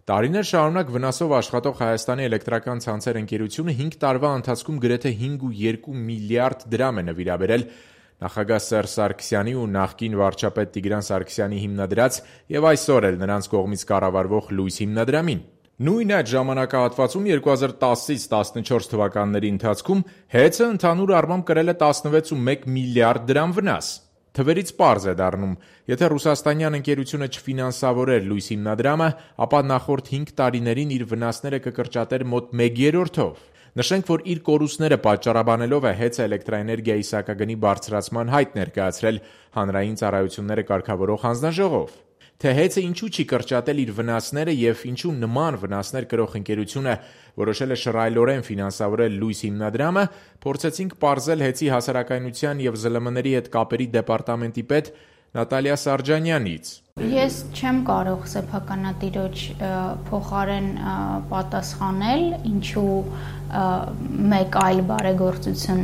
Տարիներ շարունակ վնասով աշխատող Հայաստանի էլեկտրական ցանցեր ընկերությունը 5 տարվա ընթացքում գրեթե 5,2 միլիարդ դրամ է նվիրաբերել նախագահ Սերժ Սարգսյանի ու նախկին վարչապետ Տիգրան Սարգսյանի հիմնադրած եւ այսօր էլ նրանց կողմից կառավարվող Լույս հիմնադրամին։ Նույն այդ ժամանակահատվածում 2010-ից 14 թվականների ընթացքում ՀԵՑ-ը ընդհանուր առմամբ կրել է 16,1 միլիարդ դրամ վնաս։ Թվերից պարզ է դառնում, եթե ռուսաստանյան ընկերությունը չֆինանսավորեր Լույս հիմնադրամը, ապա նախորդ 5 տարիներին իր վնասները կկրճատեր մոտ 1/3-ով։ Նշենք, որ իր կորուստները պատճառաբանելով է ՀԵՑ-ը էլեկտրաէներգիայի սակագնի բարձրացման հայտ ներկայացրել հանրային ծառայությունները կարգավորող հանձնաժողով։ Թե ՀԵՑ-ը ինչու չի կրճատել իր վնասները եւ ինչու նման վնասներ կրող ընկերությունը որոշել է շռայլորեն ֆինանսավորել Լույս հիմնադրամը, փորձեցինք պարզել ՀԵՑ-ի հասարակայնության եւ ԶԼՄ-ների հետ կապերի դեպարտամենտի պետ Նատալիա Սարջանյանից։ Ես չեմ կարող սեփականատիրոջ փոխարեն պատասխանել, ինչու մեկ այլ բարեգործություն,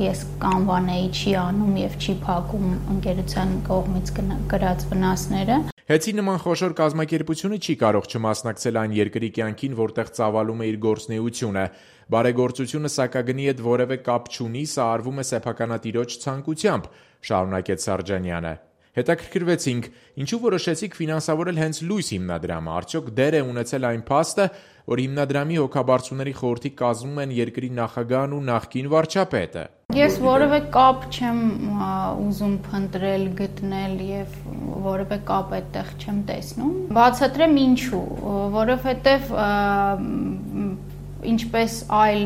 ես կանվանեի չի անում եւ չի փակում ընկերության կողմից կրած վնասները։ ՀԵՑ-ի նման խոշոր կազմակերպությունը չի կարող չմասնակցել այն երկրի կյանքին, որտեղ ծավալում է իր գործունեությունը։ Բարեգործությունը սակագնի հետ որևէ կապ չունի, սա արվում է սեփականատիրոջ ցանկությամբ, շարունակեց Սարջանյանը։ Հետաքրքրվեցինք, ինչու որոշեցիք ֆինանսավորել հենց Լույս հիմնադրամը, արդյոք դեր է ունեցել այն փաստը, որ հիմնադրամի հոգաբարձուների խորհրդի կազմում են երկրի նախագահն ու նախկին վարչապետը։ Ես որևէ կապ չեմ ուզում փնտրել, գտնել եւ որևէ կապ այդտեղ չեմ տեսնում։ Բացատրեմ ինչու, որովհետեւ ինչպես այլ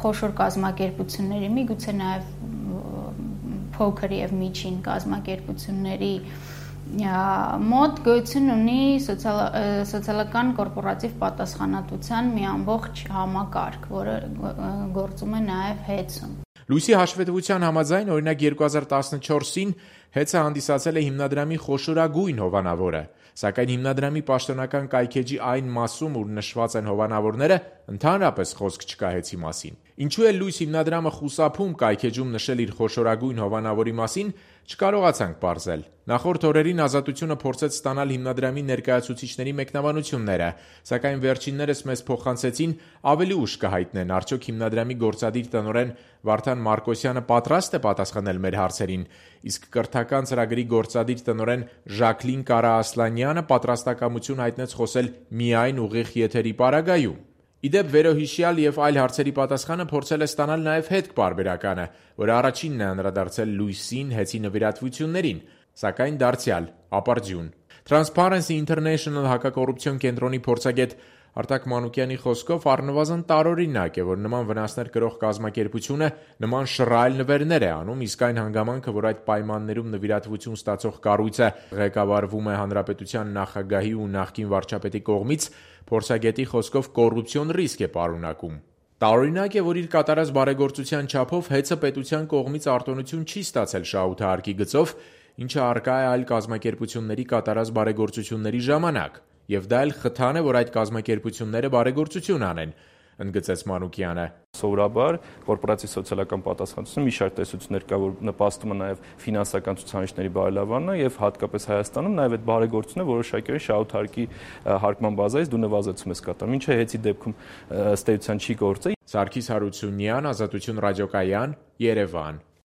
խոշոր կազմակերպությունների, միգուցե նաեւ փոքր եւ միջին կազմակերպությունների մոտ գոյություն ունի սոցիալական կորպորատիվ պատասխանատվության մի ամբողջ համակարգ, որը գործում է նաեւ ՀԵՑ-ում։ Լույսի հաշվետվության համաձայն, օրինակ 2014-ին ՀԵՑ-ը հանդիսացել է հիմնադրամի խոշորագույն հովանավորը, սակայն հիմնադրամի պաշտոնական կայքեջի այն մասում, ուր նշված են հովանավորները, ընդհանրապես խոսք չկա ՀԵՑ-ի մասին։ Ինչու է Լույս հիմնադրամը խուսափում կայքեջում նշել իր խոշորագույն հովանավորի մասին, չկարողացանք պարզել։ Նախորդ օրերին Ազատությունը փորձեց ստանալ հիմնադրամի ներկայացուցիչների մեկնաբանությունները, սակայն վերջիններս մեզ փոխանցեցին ավելի ուշ կհայտնեն, արդյոք հիմնադրամի գործադիր տնօրեն Վարդան Մարկոսյանը պատրաստ է պատասխանել մեր հարցերին, իսկ կրթական ծրագրի գործադիր տնօրեն Ժակլին Կարաասլանյանը պատրաստակամություն հայտնեց խոսել միայն ուղիղ եթերի պարագայում։ Իդեպ վերոհիշյալ եւ այլ հարցերի պատասխանը փորձել է ստանալ նաեւ հետք-պարբերականը, որը առաջինն է անդրադարձել Լույսին ՀԵՑ-ի նվիրատվություններին, սակայն դարձյալ ապարդյուն։ Transparency International հակակոռուպցիոն կենտրոնի փորձագետ Արտակ Մանուկյանի խոսքով առնվազն տարօրինակ է, որ նման վնասներ կրող կազմակերպությունը նման շռայլ նվերներ է անում, իսկ այն հանգամանքը, որ այդ պայմաններում նվիրատվություն ստացող կառույցը ղեկավարվում է հանրապետության նախագահի ու նախկին վարչապետի կողմից, փորձագետի խոսքով կոռուպցիոն ռիսկ է պարունակում։ Տարօրինակ է, որ իր կատարած բարեգործության չափով ՀԵՑ-ը պետության կողմից արտոնություն չի ստացել շահութահարկի գծով, ինչը առկա է այլ կազմակերպությունների կատարած բարեգործությունների ժամանակ, եւ դա էլ խթան է, որ այդ կազմակերպությունները բարեգործություն անեն, ընդգծեց Մանուկյանը։ Սովորաբար կորպորատիվ սոցիալական պատասխանատվությունը մի շարք տեսություններ կա, որ նպաստում է նաև ֆինանսական ցուցանիշների բարելավմանը եւ հատկապես Հայաստանում նաև այդ բարեգործությունը որոշակի շահութահարկի հարկման բազայից դու նվազեցում ես կատարում, ինչը ՀԵՑ-ի դեպքում ըստ էության չի գործել։ Սարգիս Հարությունյան, Ազատություն ռադիոկայան, Երևան։